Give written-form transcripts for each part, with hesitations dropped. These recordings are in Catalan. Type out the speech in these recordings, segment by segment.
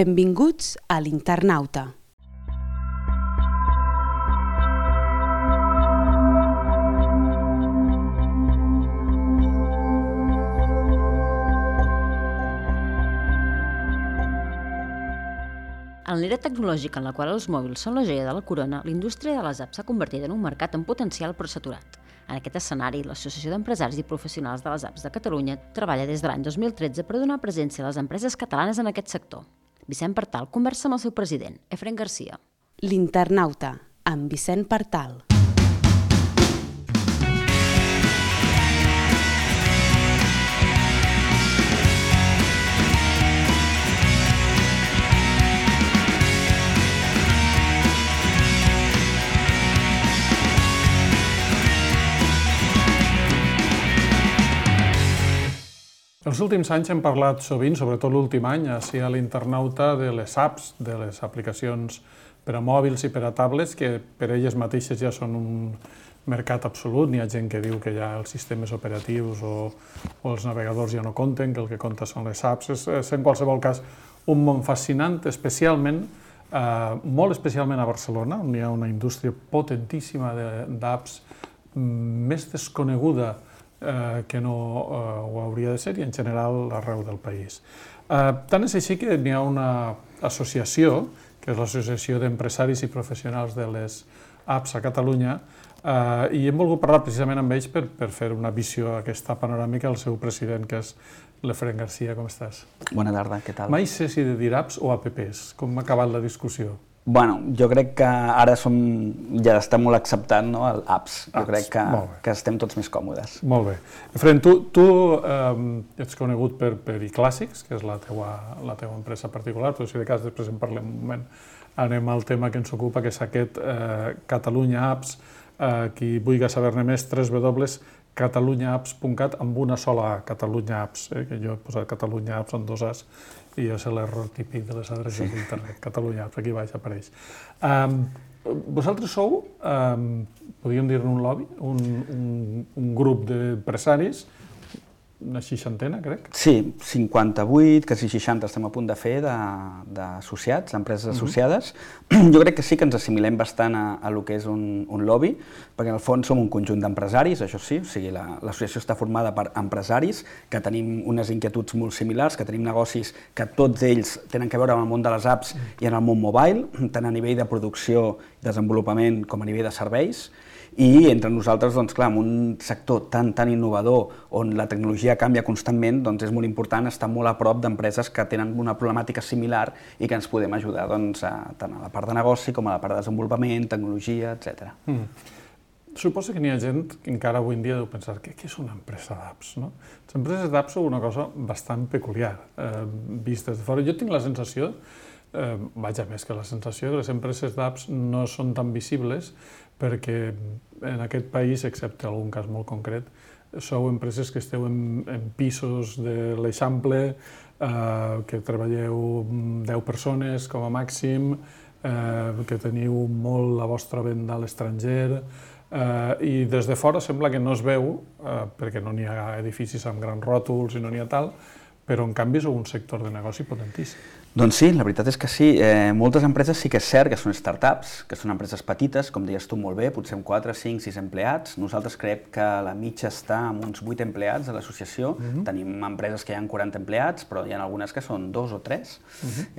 Benvinguts a l'Internauta. En l'era tecnològica en la qual els mòbils són la joia de la corona, la indústria de les apps s'ha convertit en un mercat en potencial però saturat. En aquest escenari, l'Associació d'Empresaris i Professionals de les Apps de Catalunya treballa des de l'any 2013 per donar presència a les empreses catalanes en aquest sector. Vicent Partal conversa amb el seu president, Efrén Garcia. L'Internauta, amb Vicent Partal. Els últims anys hem parlat sovint, sobretot l'últim any, així a l'Internauta, de les apps, de les aplicacions per a mòbils i per a tablets, que per elles mateixes ja són un mercat absolut. N'hi ha gent que diu que ja els sistemes operatius o els navegadors ja no compten, que el que compta són les apps. És en qualsevol cas un món fascinant, especialment, molt especialment a Barcelona, on hi ha una indústria potentíssima d'apps, més desconeguda que no ho hauria de ser, i en general arreu del país. Tant és així que hi ha una associació, que és l'Associació d'Empresaris i Professionals de les Apps a Catalunya, i hem volgut parlar precisament amb ells per fer una visió aquesta panoràmica al seu president, que és l'Efrén Garcia. Com estàs? Bona tarda, què tal? Mai sé si de dir apps o apps. Com ha acabat la discussió? Bueno, jo crec que ara ja està molt acceptat, no, el apps. Jo crec que estem tots més còmodes. Molt bé. Efrén, tu ets conegut per iClàssics, que és la teua empresa particular, però si de cas després en parlem un moment. Anem al tema que ens ocupa, que és aquest Catalunya Apps. Qui vulgui saber-ne més, www.catalunyaapps.cat, amb una sola A, Catalunya Apps, que jo he posat Catalunya Apps amb dos As, i és l'error típic de les adreces d'internet. Catalunya Apps, aquí baix apareix. Vosaltres sou, podríem dir-ne un lobby, un grup d'empresaris, una seixantena, crec? Sí, 58, quasi 60 estem a punt de fer d'associats, d'empreses associades. Jo crec que sí que ens assimilem bastant a lo que és un lobby, perquè en el fons som un conjunt d'empresaris, això sí, o sigui, l'associació està formada per empresaris que tenim unes inquietuds molt similars, que tenim negocis que tots ells tenen a veure amb el món de les apps i en el món mobile, tant a nivell de producció i desenvolupament com a nivell de serveis. I entre nosaltres, doncs clar, en un sector tan innovador, on la tecnologia canvia constantment, doncs és molt important estar molt a prop d'empreses que tenen una problemàtica similar i que ens podem ajudar tant a la part de negoci com a la part de desenvolupament, tecnologia, etc. Suposo que n'hi ha gent que encara avui en dia deu pensar què és una empresa d'apps, no? Les empreses d'apps són una cosa bastant peculiar, vistes de fora. Jo tinc la sensació, vaja, més que la sensació, que les empreses d'apps no són tan visibles perquè en aquest país, excepte algun cas molt concret, sou empreses que esteu en pisos de l'Eixample, que treballeu 10 persones com a màxim, que teniu molt la vostra venda a l'estranger, i des de fora sembla que no es veu, perquè no n'hi ha edificis amb grans ròtols i no n'hi ha tal, però en canvi sou un sector de negoci potentíssim. Doncs sí, la veritat és que sí. Moltes empreses sí que és cert que són startups, que són empreses petites, com deies tu molt bé, potser amb 4, 5, 6 empleats. Nosaltres creiem que la mitja està amb uns 8 empleats a l'associació. Tenim empreses que hi ha 40 empleats, però hi ha algunes que són 2 o 3.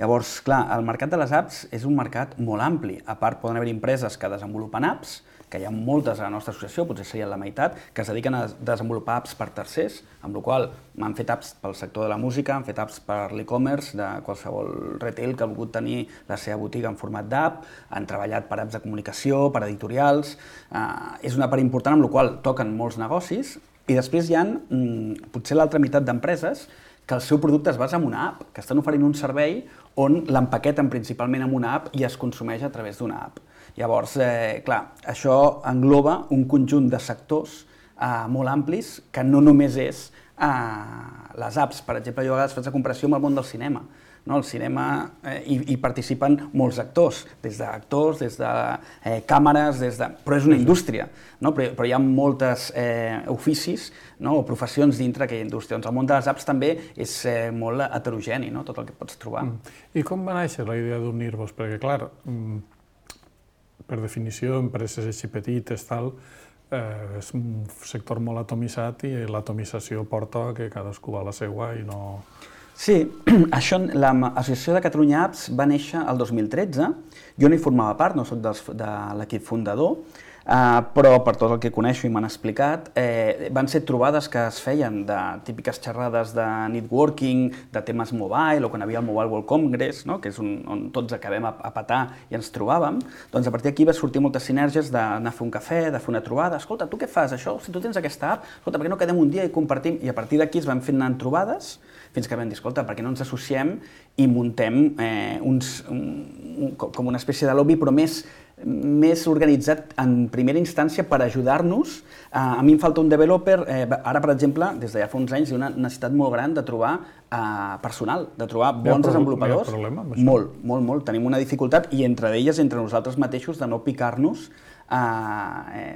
Llavors, clar, el mercat de les apps és un mercat molt ampli. A part, poden haver empreses que desenvolupen apps, que hi ha moltes a la nostra associació, potser serien la meitat, que es dediquen a desenvolupar apps per tercers, amb la qual cosa han fet apps pel sector de la música, han fet apps per l'e-commerce, de qualsevol retail que ha volgut tenir la seva botiga en format d'app, han treballat per apps de comunicació, per editorials. És una part important amb la qual toquen molts negocis, i després hi ha potser l'altra meitat d'empreses que el seu producte es basa en una app, que estan oferint un servei on l'empaqueten principalment en una app i es consumeix a través d'una app. Llavors, clar, això engloba un conjunt de sectors molt amplis que no només és les apps. Per exemple, jo a vegades faig la comparació amb el món del cinema. no? Al cinema hi participen molts actors, des de càmeres, però és una indústria, no? Però hi ha moltes oficis, no? O professions dintre d'aquella indústria. Doncs el món de les apps també és molt heterogeni, no? Tot el que pots trobar. I com va néixer la idea d'unir-vos? Perquè, clar, per definició, empreses així petites, és un sector molt atomitzat i l'atomització porta que cadascú va a la seua i no... Sí, l'Associació de Catalunya Apps va néixer el 2013, jo no hi formava part, no soc de l'equip fundador, però per tot el que coneixo i m'han explicat, van ser trobades que es feien de típiques xerrades de networking, de temes mobile, o quan hi havia el Mobile World Congress, no? Que és on tots acabem a petar i ens trobàvem, doncs a partir d'aquí va sortir moltes sinergies d'anar a fer un cafè, de fer una trobada. Escolta, tu què fas, això? Si tu tens aquesta app, escolta, per què no quedem un dia i compartim? I a partir d'aquí es van fent anant trobades, fins que vam dir, escolta, per què no ens associem i muntem com una espècie de lobby, però més organitzat en primera instància per ajudar-nos. A mi em falta un developer, ara per exemple, des de ja fa uns anys, hi ha una necessitat molt gran de trobar personal, de trobar bons desenvolupadors. Hi ha problema amb això? Molt. Tenim una dificultat i entre d'elles, entre nosaltres mateixos, de no picar-nos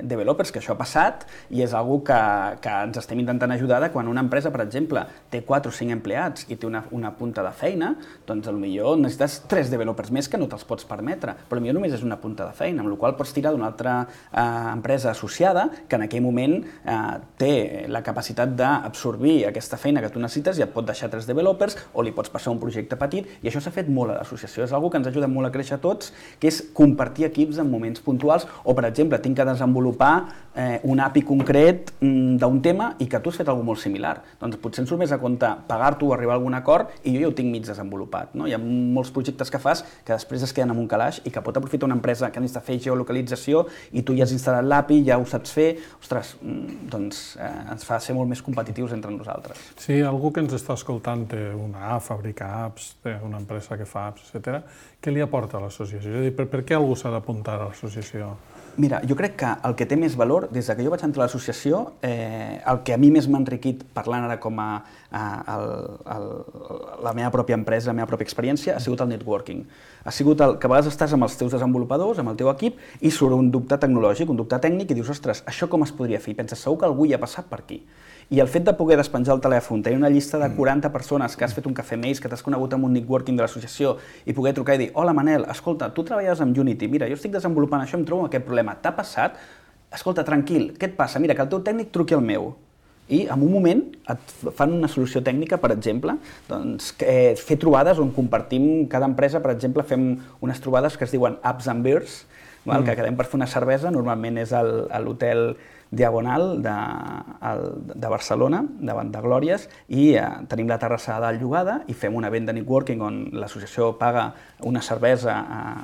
developers, que això ha passat i és una cosa que ens estem intentant ajudar de quan una empresa, per exemple, té 4 o 5 empleats i té una punta de feina, doncs potser necessites 3 developers més que no te'ls pots permetre, però potser només és una punta de feina, amb la qual pots tirar d'una altra empresa associada que en aquell moment té la capacitat d'absorbir aquesta feina que tu necessites i et pot deixar 3 developers o li pots passar un projecte petit, i això s'ha fet molt a l'associació. És una cosa que ens ajuda molt a créixer tots, que és compartir equips en moments puntuals, o per exemple, tinc que desenvolupar un API concret d'un tema i que tu has fet alguna cosa molt similar. Doncs potser ens surt més a compte pagar-t'ho o arribar a algun acord i jo ja ho tinc mig desenvolupat. Hi ha molts projectes que fas que després es queden en un calaix i que pot aprofitar una empresa que necessita fer geolocalització i tu ja has instal·lat l'API, ja ho saps fer. Ostres, doncs ens fa ser molt més competitius entre nosaltres. Si algú que ens està escoltant té una app, fabrica apps, té una empresa que fa apps, etc., què li aporta a l'associació? És a dir, per què algú s'ha d'apuntar a l'associació? Mira, jo crec que el que té més valor, des que jo vaig entrar a l'associació, el que a mi més m'ha enriquit parlant ara com a la meva pròpia empresa, la meva pròpia experiència, ha sigut el networking. Ha sigut el que a vegades estàs amb els teus desenvolupadors, amb el teu equip, i surt un dubte tecnològic, un dubte tècnic, i dius, ostres, això com es podria fer? I penses, segur que algú hi ha passat per aquí. I el fet de poder despenjar el telèfon, tenir una llista de 40 persones que has fet un cafè amb ells, que t'has conegut amb un networking de l'associació i poder trucar i dir, hola Manel, escolta, tu treballes amb Unity, mira, jo estic desenvolupant això, em trobo amb aquest problema, t'ha passat? Escolta, tranquil, què et passa? Mira, que el teu tècnic truqui al meu. I en un moment et fan una solució tècnica, per exemple, doncs, fer trobades on compartim, cada empresa, per exemple, fem unes trobades que es diuen Apps and Beers, que quedem per fer una cervesa, normalment és a l'hotel Diagonal de Barcelona, davant de Glòries, i tenim la terrassa de dalt llogada i fem un event de networking on l'associació paga una cervesa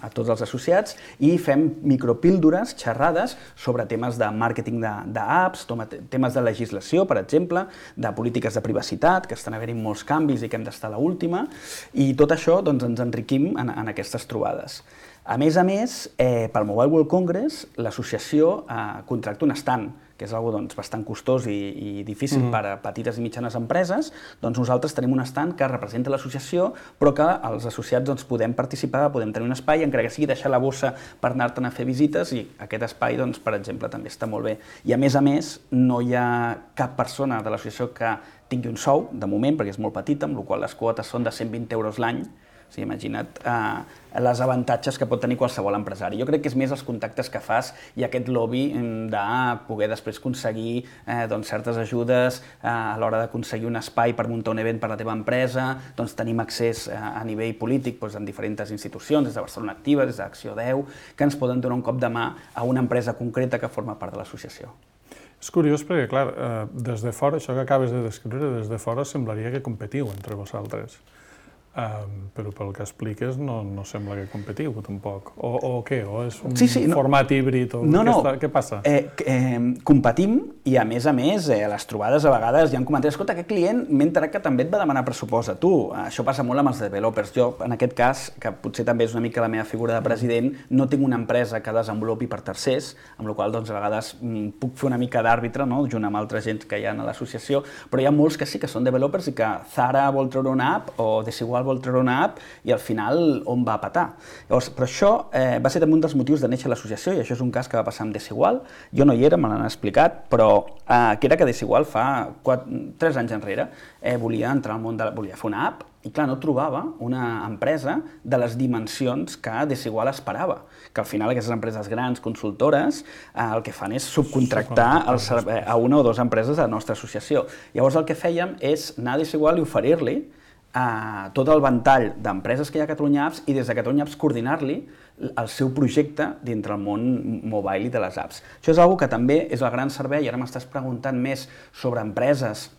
a tots els associats i fem micropíldores, xerrades sobre temes de màrqueting d'apps, temes de legislació, per exemple, de polítiques de privacitat, que estan havent-hi molts canvis i que hem d'estar a l'última, i tot això doncs, ens enriquim en aquestes trobades. A més, pel Mobile World Congress, l'associació contracta un stand, que és una cosa bastant costós i difícil per a petites i mitjanes empreses. Doncs nosaltres tenim un stand que representa l'associació, però que els associats podem participar, podem tenir un espai, encara que sigui deixar la bossa per anar-te'n a fer visites, i aquest espai, per exemple, també està molt bé. I a més, no hi ha cap persona de l'associació que tingui un sou, de moment, perquè és molt petita, amb la qual les quotes són de 120 euros l'any. O sigui, imagina't els avantatges que pot tenir qualsevol empresari. Jo crec que és més els contactes que fas i aquest lobby de poder després aconseguir certes ajudes a l'hora d'aconseguir un espai per muntar un event per a la teva empresa. Doncs tenim accés a nivell polític en diferents institucions, des de Barcelona Activa, des d'Acció 10, que ens poden donar un cop de mà a una empresa concreta que forma part de l'associació. És curiós perquè, clar, des de fora, això que acabes de descriure, des de fora semblaria que competiu entre vosaltres. Però pel que expliques no sembla que competiu tampoc. O què? O és un format híbrid? Què passa? Competim i a més, a les trobades a vegades hi ha comentaris, escolta, aquest client m'he enterat que també et va demanar pressupost a tu. Això passa molt amb els developers. Jo, en aquest cas, que potser també és una mica la meva figura de president, no tinc una empresa que desenvolupi per tercers, amb la qual cosa a vegades puc fer una mica d'àrbitre, junt amb altra gent que hi ha a l'associació, però hi ha molts que sí que són developers i que Zara vol treure una app o Desigual Desigual vol treure una app i al final on va petar. Llavors, però això va ser també un dels motius de néixer l'associació, i això és un cas que va passar amb Desigual. Jo no hi era, me l'han explicat, però que era que Desigual fa 3 anys enrere volia entrar al món volia fer una app, i clar, no trobava una empresa de les dimensions que Desigual esperava, que al final aquestes empreses grans, consultores, el que fan és subcontractar a una o dues empreses de la nostra associació. Llavors el que fèiem és anar a Desigual i oferir-li tot el ventall d'empreses que hi ha a Catalunya Apps i des de Catalunya Apps coordinar-li el seu projecte dintre el món mobile i de les apps. Això és una cosa que també és el gran servei, i ara m'estàs preguntant més sobre empreses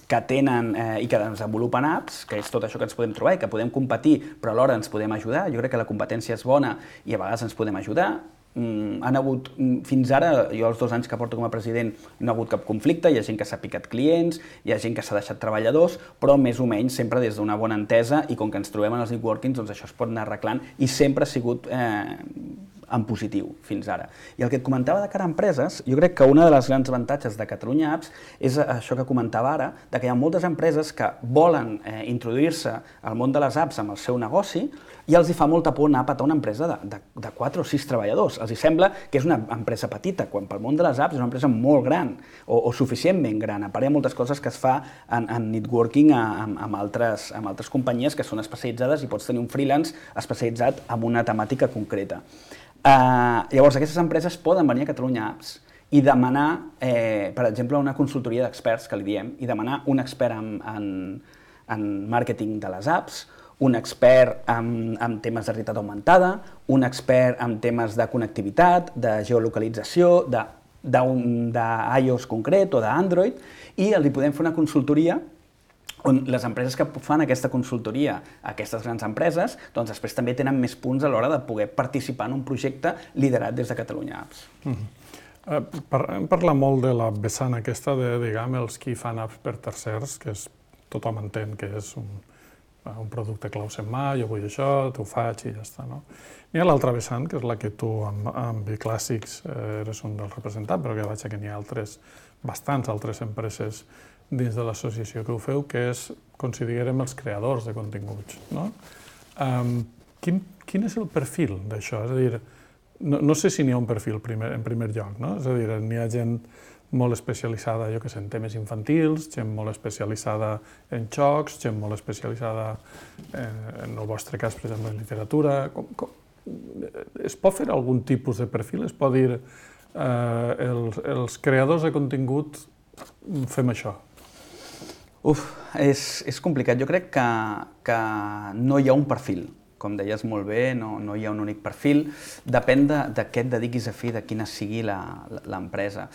que tenen i que desenvolupen apps, que és tot això que ens podem trobar i que podem competir, però alhora ens podem ajudar. Jo crec que la competència és bona i a vegades ens podem ajudar. Han hagut, fins ara, jo els 2 anys que porto com a president, no ha hagut cap conflicte, hi ha gent que s'ha picat clients, hi ha gent que s'ha deixat treballadors, però més o menys sempre des d'una bona entesa, i com que ens trobem en els networkings, doncs això es pot anar arreglant, i sempre ha sigut en positiu fins ara. I el que et comentava de cara a empreses, jo crec que una de les grans avantatges de Catalunya Apps és això que comentava ara, de que hi ha moltes empreses que volen introduir-se al món de les apps amb el seu negoci i els hi fa molta por anar a petar una empresa de 4 o 6 treballadors. Els hi sembla que és una empresa petita, quan pel món de les apps és una empresa molt gran o suficientment gran. A part hi ha moltes coses que es fa en networking amb altres companyies que són especialitzades i pots tenir un freelance especialitzat en una temàtica concreta. Llavors, aquestes empreses poden venir a Catalunya Apps i demanar, per exemple, una consultoria d'experts, que li diem, i demanar un expert en màrqueting de les apps, un expert en temes de realitat augmentada, un expert en temes de connectivitat, de geolocalització, d'iOS concret o d'Android, i els podem fer una consultoria on les empreses que fan aquesta consultoria, aquestes grans empreses, doncs després també tenen més punts a l'hora de poder participar en un projecte liderat des de Catalunya Apps. Hem parlat molt de la vessant aquesta de, diguem, els qui fan apps per tercers, que tothom entén que és un producte clau en mà, jo vull això, t'ho faig i ja està, no? N'hi ha l'altra vessant, que és la que tu amb Biclàssics eres un dels representants, però que veig que n'hi ha bastants altres empreses dins de l'associació que ho feu, que és, considerem, els creadors de continguts, no? Quin és el perfil d'això? És a dir, no sé si n'hi ha un perfil en primer lloc, no? És a dir, n'hi ha gent molt especialitzada, jo que sé, en temes infantils, gent molt especialitzada en jocs, gent molt especialitzada, en el vostre cas, per exemple, en literatura. Es pot fer algun tipus de perfil? Es pot dir, els creadors de contingut fem això? És complicat. Jo crec que no hi ha un perfil. Com deies molt bé, no hi ha un únic perfil. Depèn de què et dediquis a fer, de quina sigui l'empresa.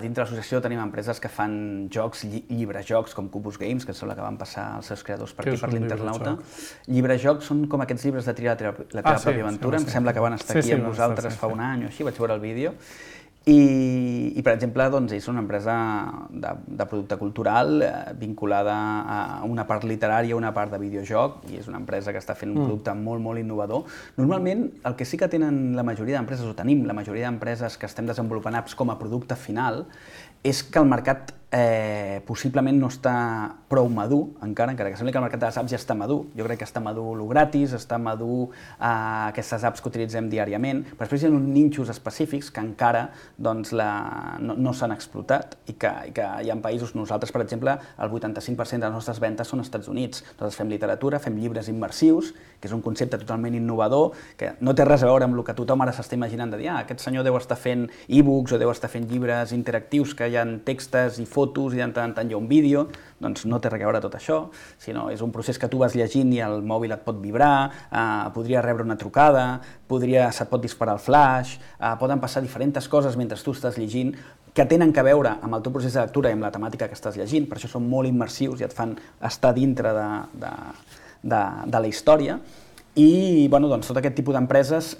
Dintre l'associació tenim empreses que fan jocs, llibrejocs, com Cubus Games, que sembla que van passar els seus creadors per aquí, per l'Internauta. Llibrejocs són com aquests llibres de triar la teva pròpia aventura. Em sembla que van estar aquí amb nosaltres fa un any o així, vaig veure el vídeo. I, per exemple, és una empresa de producte cultural vinculada a una part literària, una part de videojoc, i és una empresa que està fent un producte molt, molt innovador. Normalment, el que sí que tenen la majoria d'empreses, o tenim la majoria d'empreses que estem desenvolupant apps com a producte final, és que el mercat possiblement no està prou madur, encara que sembla que el mercat de les apps ja està madur. Jo crec que està madur el gratis, està madur aquestes apps que utilitzem diàriament, però després hi ha uns nínxols específics que encara no s'han explotat i que hi ha països, nosaltres, per exemple, el 85% de les nostres ventes són als Estats Units. Nosaltres fem literatura, fem llibres immersius, que és un concepte totalment innovador, que no té res a veure amb el que tothom ara s'està imaginant de dir aquest senyor deu estar fent e-books o deu estar fent llibres interactius que hi ha textes i fotos i de tant en tant hi ha un vídeo. Doncs no té res a veure tot això, sinó és un procés que tu vas llegint i el mòbil et pot vibrar, podria rebre una trucada, se't pot disparar el flash, poden passar diferents coses mentre tu estàs llegint que tenen a veure amb el teu procés de lectura i amb la temàtica que estàs llegint, per això són molt immersius i et fan estar dintre de la història. I tot aquest tipus d'empreses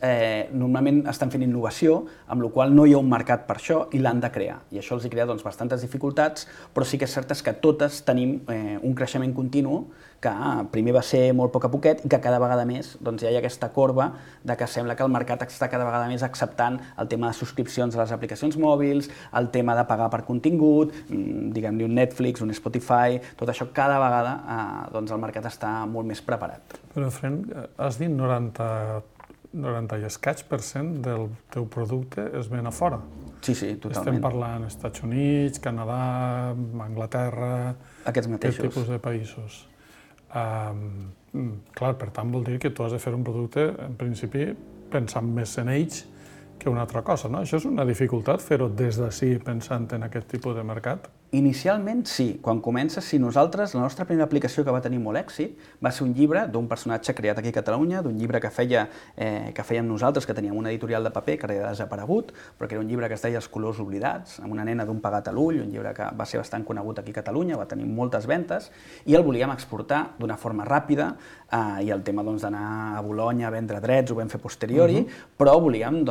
normalment estan fent innovació, amb la qual no hi ha un mercat per això i l'han de crear. I això els crea bastantes dificultats, però sí que és cert que totes tenim un creixement continu que primer va ser molt poc a poquet i que cada vegada més ja hi ha aquesta corba de que sembla que el mercat està cada vegada més acceptant el tema de subscripcions a les aplicacions mòbils, el tema de pagar per contingut, diguem-ne un Netflix, un Spotify, tot això cada vegada el mercat està molt més preparat. Però, Fren, has dit 90 i escaig % del teu producte es ven a fora. Sí, totalment. Estem parlant Estats Units, Canadà, Anglaterra... Aquests mateixos. Aquest tipus de països. Clar, per tant, vol dir que tu has de fer un producte, en principi, pensant més en ells que una altra cosa, no? Això és una dificultat, fer-ho des d'ací pensant en aquest tipus de mercat? Inicialment sí, quan comença, sí. Nosaltres, la nostra primera aplicació que va tenir molt èxit va ser un llibre d'un personatge creat aquí a Catalunya, d'un llibre que fèiem nosaltres, que teníem una editorial de paper que era desaparegut, però que era un llibre que es deia Els colors oblidats, amb una nena d'un pegat a l'ull, un llibre que va ser bastant conegut aquí a Catalunya, va tenir moltes ventes, i el volíem exportar d'una forma ràpida, i el tema d'anar a Bolonya a vendre drets ho vam fer posteriori, però volíem,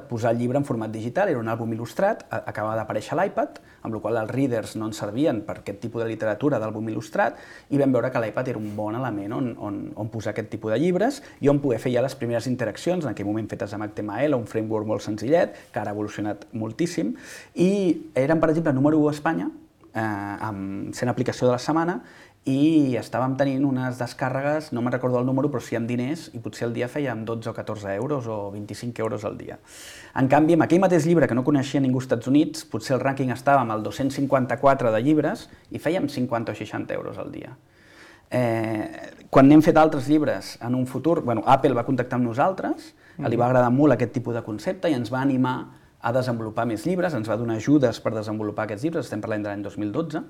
posar el llibre en format digital, era un àlbum il·lustrat, acabava d'aparèixer a l'iPad, amb la qual els readers no ens servien per aquest tipus de literatura d'àlbum il·lustrat, i vam veure que l'iPad era un bon element on posar aquest tipus de llibres i on poder fer ja les primeres interaccions, en aquell moment fetes amb HTML, un framework molt senzillet, que ara ha evolucionat moltíssim, i eren, per exemple, número 1 a Espanya, sent aplicació de la setmana, i estàvem tenint unes descàrregues, no me'n recordo el número, però sí amb diners, i potser al dia fèiem 12 o 14 euros o 25 euros al dia. En canvi, amb aquell mateix llibre que no coneixia ningú als Estats Units, potser el rànquing estava amb el 254 de llibres i fèiem 50 o 60 euros al dia. Quan n'hem fet altres llibres en un futur, Apple va contactar amb nosaltres, li va agradar molt aquest tipus de concepte i ens va animar a desenvolupar més llibres, ens va donar ajudes per desenvolupar aquests llibres, estem parlant de l'any 2012,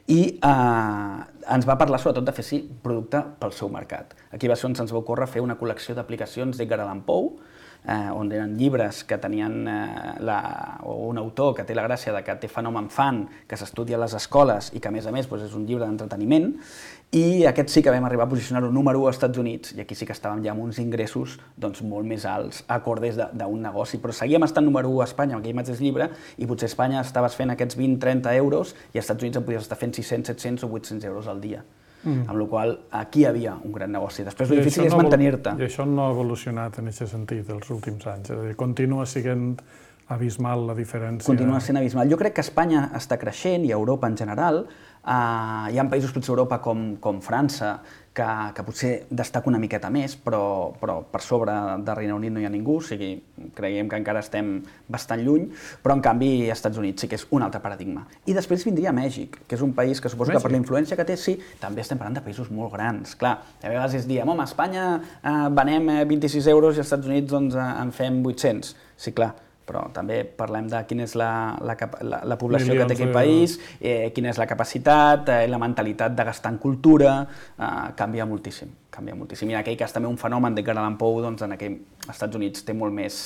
i ens va parlar sobretot de fer producte pel seu mercat. Aquí va ser on se'ns va ocórrer fer una col·lecció d'aplicacions d'Edgar Allan Poe, on eren llibres que tenien un autor que té la gràcia de que té fenomen fan, que s'estudia a les escoles i que a més és un llibre d'entreteniment, i aquest sí que vam arribar a posicionar-ho número 1 als Estats Units, i aquí sí que estàvem ja amb uns ingressos molt més alts, acordes d'un negoci, però seguíem estant número 1 a Espanya amb aquell mateix llibre, i potser a Espanya estaves fent aquests 20-30 euros i als Estats Units en podies estar fent 600, 700 o 800 euros al dia. Amb la qual cosa aquí hi havia un gran negoci. Després el difícil és mantenir-te. I això no ha evolucionat en aquest sentit els últims anys, continua sent abismal la diferència. Continua sent abismal. Jo crec que Espanya està creixent, i Europa en general. Hi ha països, potser a Europa, com França, que potser destaca una miqueta més, però per sobre del Regne Unit no hi ha ningú, o sigui, creiem que encara estem bastant lluny, però en canvi als Estats Units sí que és un altre paradigma. I després vindria Mèxic, que és un país que suposo que per la influència que té, sí, també estem parlant de països molt grans. Clar, a vegades diem, a Espanya venem 26 euros i als Estats Units en fem 800. Sí, clar, però també parlem de quina és la població que té aquell país, quina és la capacitat, la mentalitat de gastar en cultura, canvia moltíssim. I en aquell cas també un fenomen d'Edgar Allan Poe, als Estats Units té molt més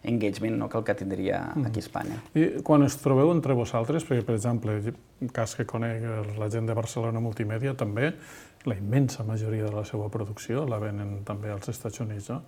engagement que el que tindria aquí a Espanya. I quan us trobeu entre vosaltres, perquè per exemple, el cas que conec la gent de Barcelona Multimèdia també, la immensa majoria de la seva producció la venen també als Estats Units, no?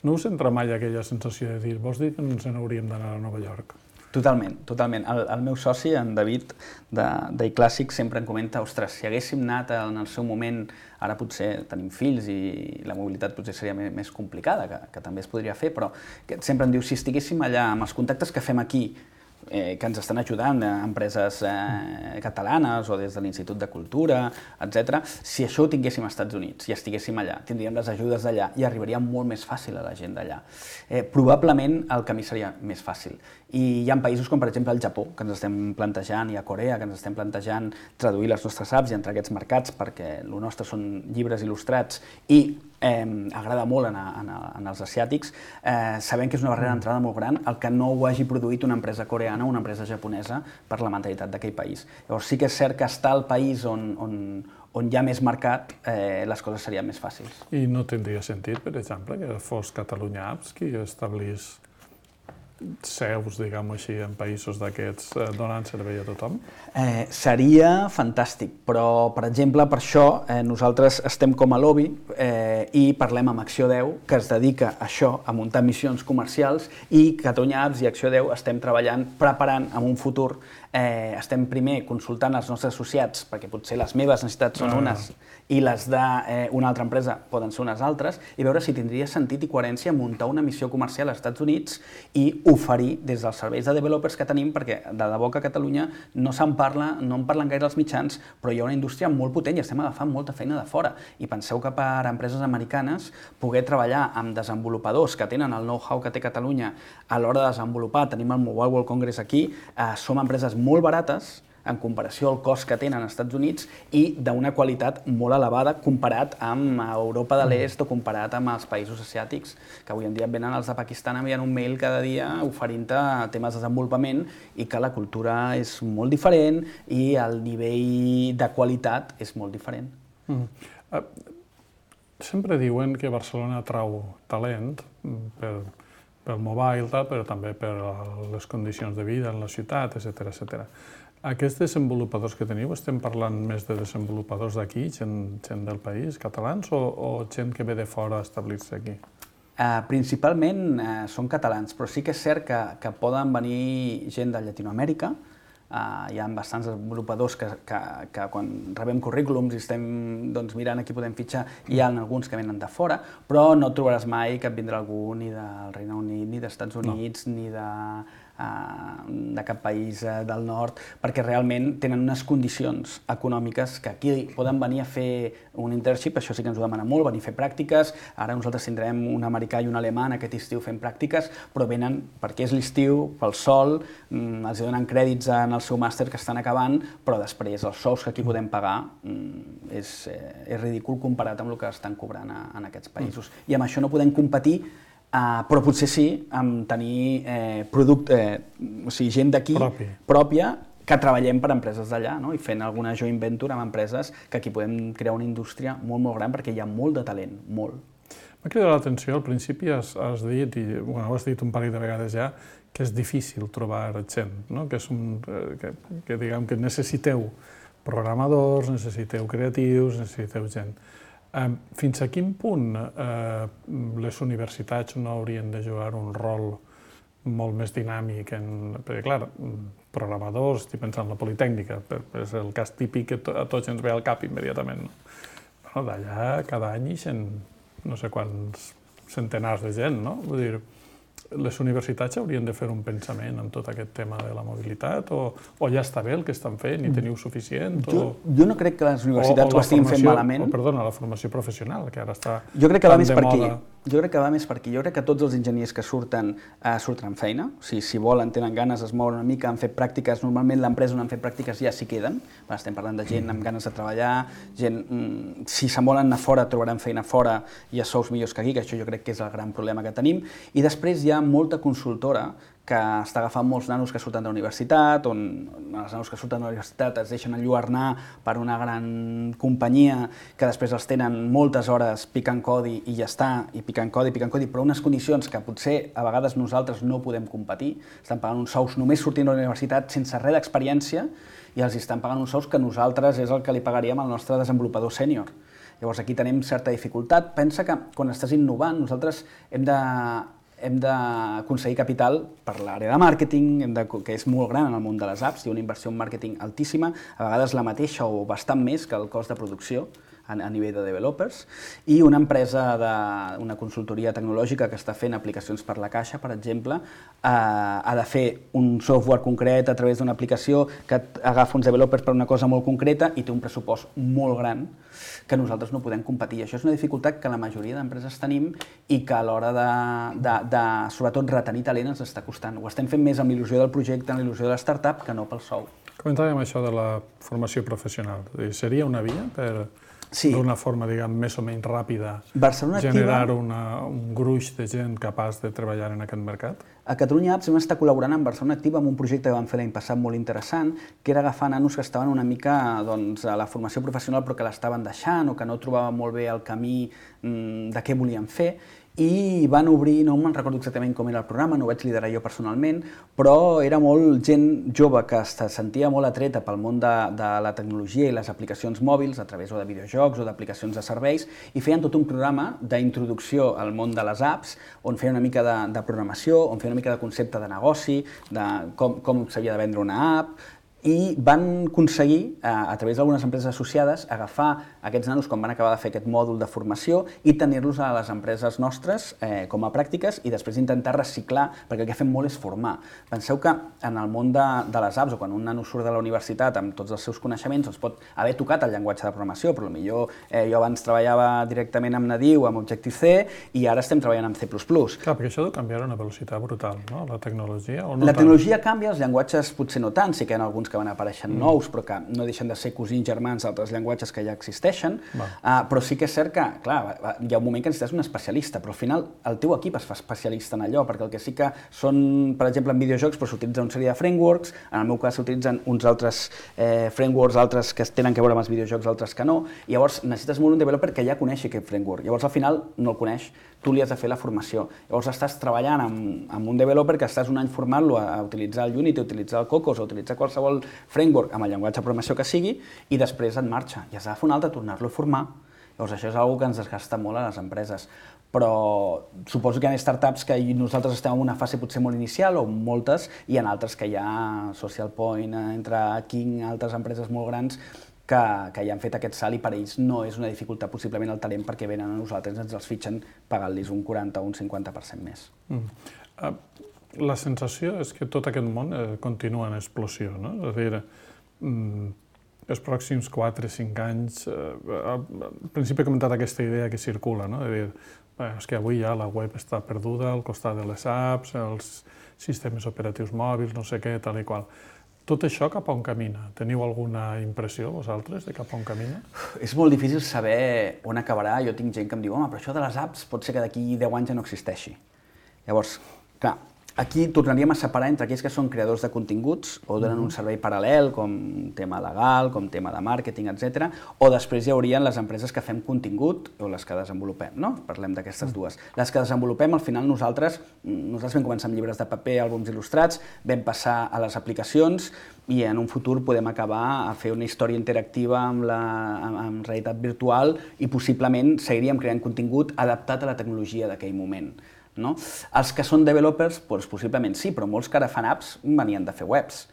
No us entra mai aquella sensació de dir, vols dir que ens n'hauríem d'anar a Nova York? Totalment, totalment. El meu soci, en David, d'iClàssic, sempre em comenta, ostres, si haguéssim anat en el seu moment, ara potser tenim fills i la mobilitat potser seria més complicada, que també es podria fer, però sempre em diu, si estiguéssim allà amb els contactes que fem aquí, que ens estan ajudant empreses catalanes o des de l'Institut de Cultura, etc. Si això ho tinguéssim als Estats Units i estiguéssim allà, tindríem les ajudes d'allà i arribaria molt més fàcil a la gent d'allà. Probablement el camí seria més fàcil. I hi ha països com, per exemple, el Japó, que ens estem plantejant, i a Corea, que ens estem plantejant traduir les nostres apps i entrar a aquests mercats, perquè el nostre són llibres il·lustrats i agrada molt en els asiàtics. Sabem que és una barrera d'entrada molt gran el que no ho hagi produït una empresa coreana o una empresa japonesa per la mentalitat d'aquell país. Llavors sí que és cert que estar al país on hi ha més mercat, les coses serien més fàcils. I no tindria sentit, per exemple, que fos Catalunya Apps qui establís seus, diguem-ho així, en països d'aquests donant servei a tothom? Seria fantàstic, però, per exemple, per això nosaltres estem com a lobby i parlem amb Acció 10, que es dedica a això, a muntar missions comercials, i Catalunya Apps i Acció 10 estem treballant, preparant en un futur, estem primer consultant els nostres associats, perquè potser les meves necessitats són unes i les d'una altra empresa poden ser unes altres, i veure si tindria sentit i coherència muntar una missió comercial als Estats Units i oferir des dels serveis de developers que tenim, perquè de debò que a Catalunya no en parlen gaire els mitjans, però hi ha una indústria molt potent i estem agafant molta feina de fora. I penseu que per empreses americanes poder treballar amb desenvolupadors que tenen el know-how que té Catalunya a l'hora de desenvolupar, tenim el Mobile World Congress aquí, som empreses molt barates en comparació al cost que tenen als Estats Units i d'una qualitat molt elevada comparat amb Europa de l'Est o comparat amb els països asiàtics, que avui en dia venen els de Pakistan enviant un mail cada dia oferint-te temes de desenvolupament i que la cultura és molt diferent i el nivell de qualitat és molt diferent. Sempre diuen que Barcelona atrau talent pel mobile, però també per les condicions de vida en la ciutat, etc. Aquests desenvolupadors que teniu, estem parlant més de desenvolupadors d'aquí, gent del país, catalans, o gent que ve de fora a establir-se aquí? Principalment són catalans, però sí que és cert que poden venir gent de Llatinoamèrica. Hi ha bastants desenvolupadors que quan rebem currículums i estem mirant a qui podem fitxar, hi ha alguns que venen de fora, però no trobaràs mai que vindrà algú ni del Regne Unit, ni dels Estats Units, ni de cap país del nord, perquè realment tenen unes condicions econòmiques que aquí poden venir a fer un internship, això sí que ens ho demana molt, venir a fer pràctiques. Ara nosaltres tindrem un americà i un alemany aquest estiu fent pràctiques, però venen perquè és l'estiu, pel sol, els donen crèdits en el seu màster que estan acabant, però després els sous que aquí podem pagar és ridícul comparat amb el que estan cobrant en aquests països. I amb això no podem competir, però potser sí amb tenir gent d'aquí pròpia que treballem per empreses d'allà i fent alguna joint venture amb empreses que aquí podem crear una indústria molt, molt gran perquè hi ha molt de talent, molt. M'ha cridat l'atenció, al principi has dit, i ho has dit un parell de vegades ja, que és difícil trobar gent, que diguem que necessiteu programadors, necessiteu creatius, necessiteu gent. Fins a quin punt les universitats no haurien de jugar un rol molt més dinàmic? Perquè, clar, programadors, estic pensant en la Politècnica, és el cas típic que a tots ens ve al cap immediatament. D'allà cada any ixen no sé quants centenars de gent, no? Vull dir, les universitats haurien de fer un pensament en tot aquest tema de la mobilitat o ja està bé el que estan fent i teniu suficient? Jo no crec que les universitats ho estiguin fent malament. Perdona, la formació professional, que ara està tan de moda. Jo crec que va més per aquí. Jo crec que tots els enginyers que surten amb feina. Si volen, tenen ganes, es mouen una mica, han fet pràctiques. Normalment l'empresa on han fet pràctiques ja s'hi queden. Estem parlant de gent amb ganes de treballar, gent, si se'n volen anar fora, trobaran feina fora i a sous millors que aquí, que això jo crec que és el gran problema que tenim. I després hi ha molta consultora que està agafant molts nanos que surten de la universitat, on els nanos que surten de la universitat es deixen enlluernar per una gran companyia que després els tenen moltes hores picant codi i ja està, i picant codi, però unes condicions que potser a vegades nosaltres no podem competir. Estan pagant uns sous només sortint de la universitat sense res d'experiència i els estan pagant uns sous que nosaltres és el que li pagaríem al nostre desenvolupador sènior. Llavors aquí tenim certa dificultat. Pensa que quan estàs innovant nosaltres hem d'aconseguir capital per l'àrea de màrqueting, que és molt gran en el món de les apps, hi ha una inversió en màrqueting altíssima, a vegades la mateixa o bastant més que el cost de producció a nivell de developers, i una empresa, una consultoria tecnològica que està fent aplicacions per la Caixa, per exemple, ha de fer un software concret a través d'una aplicació que agafa uns developers per una cosa molt concreta i té un pressupost molt gran que nosaltres no podem competir. Això és una dificultat que la majoria d'empreses tenim i que a l'hora de sobretot, retenir talent ens està costant. Ho estem fent més amb l'il·lusió del projecte, amb l'il·lusió de la startup, que no pel sou. Comentàvem això de la formació professional. Seria una via per, d'una forma, diguem, més o menys ràpida, generar un gruix de gent capaç de treballar en aquest mercat? A Catalunya Apps vam estar col·laborant amb Barcelona Activa amb un projecte que vam fer l'any passat molt interessant, que era agafar nanos que estaven una mica a la formació professional però que l'estaven deixant o que no trobaven molt bé el camí de què volien fer, i van obrir, no me'n recordo exactament com era el programa, no ho vaig liderar jo personalment, però era molt gent jove que es sentia molt atreta pel món de la tecnologia i les aplicacions mòbils a través de videojocs o d'aplicacions de serveis, i feien tot un programa d'introducció al món de les apps, on feien una mica de programació, on feien una mica de concepte de negoci, de com s'havia de vendre una app, i van aconseguir, a través d'algunes empreses associades, agafar aquests nanos quan van acabar de fer aquest mòdul de formació i tenir-los a les empreses nostres com a pràctiques i després intentar reciclar, perquè el que fem molt és formar. Penseu que en el món de les apps, o quan un nano surt de la universitat amb tots els seus coneixements, doncs pot haver tocat el llenguatge de programació, però potser jo abans treballava directament amb Nadiu, amb Objective-C, i ara estem treballant amb C++. Clar, perquè això deu canviar a una velocitat brutal, no? La tecnologia, o no? La tecnologia canvia, els llenguatges potser no tant, sí que hi ha alguns que van apareixent nous, però que no deixen de ser cosins germans d'altres llenguatges que ja existeixen, però sí que és cert que, clar, hi ha un moment que necessites un especialista, però al final el teu equip es fa especialista en allò, perquè el que sí que són, per exemple, en videojocs, però s'utilitzen una sèrie de frameworks, en el meu cas s'utilitzen uns altres frameworks, altres que tenen a veure amb els videojocs, altres que no, i llavors necessites molt un developer que ja coneixi aquest framework, llavors al final no el coneix, tu li has de fer la formació. Llavors estàs treballant amb un developer que estàs un any formant-lo a utilitzar el Unity, a utilitzar el Cocos, a utilitzar qualsevol framework amb el llenguatge de programació que sigui, i després en marxa. I has d'agafar un altre, tornar-lo a formar. Llavors això és una cosa que ens desgasta molt a les empreses. Però suposo que hi ha startups que nosaltres estem en una fase potser molt inicial, o moltes, i en altres que hi ha Social Point, entre King, altres empreses molt grans, que ja han fet aquest salt i per ells no és una dificultat possiblement el talent perquè venen a nosaltres, ens els fitxen pagant-los un 40 o un 50% més. La sensació és que tot aquest món continua en explosió, no? És a dir, els pròxims 4-5 anys, al principi he comentat aquesta idea que circula, no? És dir, és que avui ja la web està perduda al costat de les apps, els sistemes operatius mòbils, no sé què, tal i qual. Tot això cap a on camina? Teniu alguna impressió, vosaltres, de cap a on camina? És molt difícil saber on acabarà. Jo tinc gent que em diu, home, però això de les apps pot ser que d'aquí 10 anys ja no existeixi. Llavors, clar, aquí tornaríem a separar entre aquells que són creadors de continguts o donen un servei paral·lel, com tema legal, com tema de màrqueting, etc. O després hi haurien les empreses que fem contingut o les que desenvolupem, no? Parlem d'aquestes dues. Les que desenvolupem, al final nosaltres vam començar amb llibres de paper, àlbums il·lustrats, vam passar a les aplicacions i en un futur podem acabar a fer una història interactiva amb realitat virtual i possiblement seguiríem creant contingut adaptat a la tecnologia d'aquell moment. No? Els que són developers, doncs, possiblement sí, però molts que ara fan apps venien de fer webs,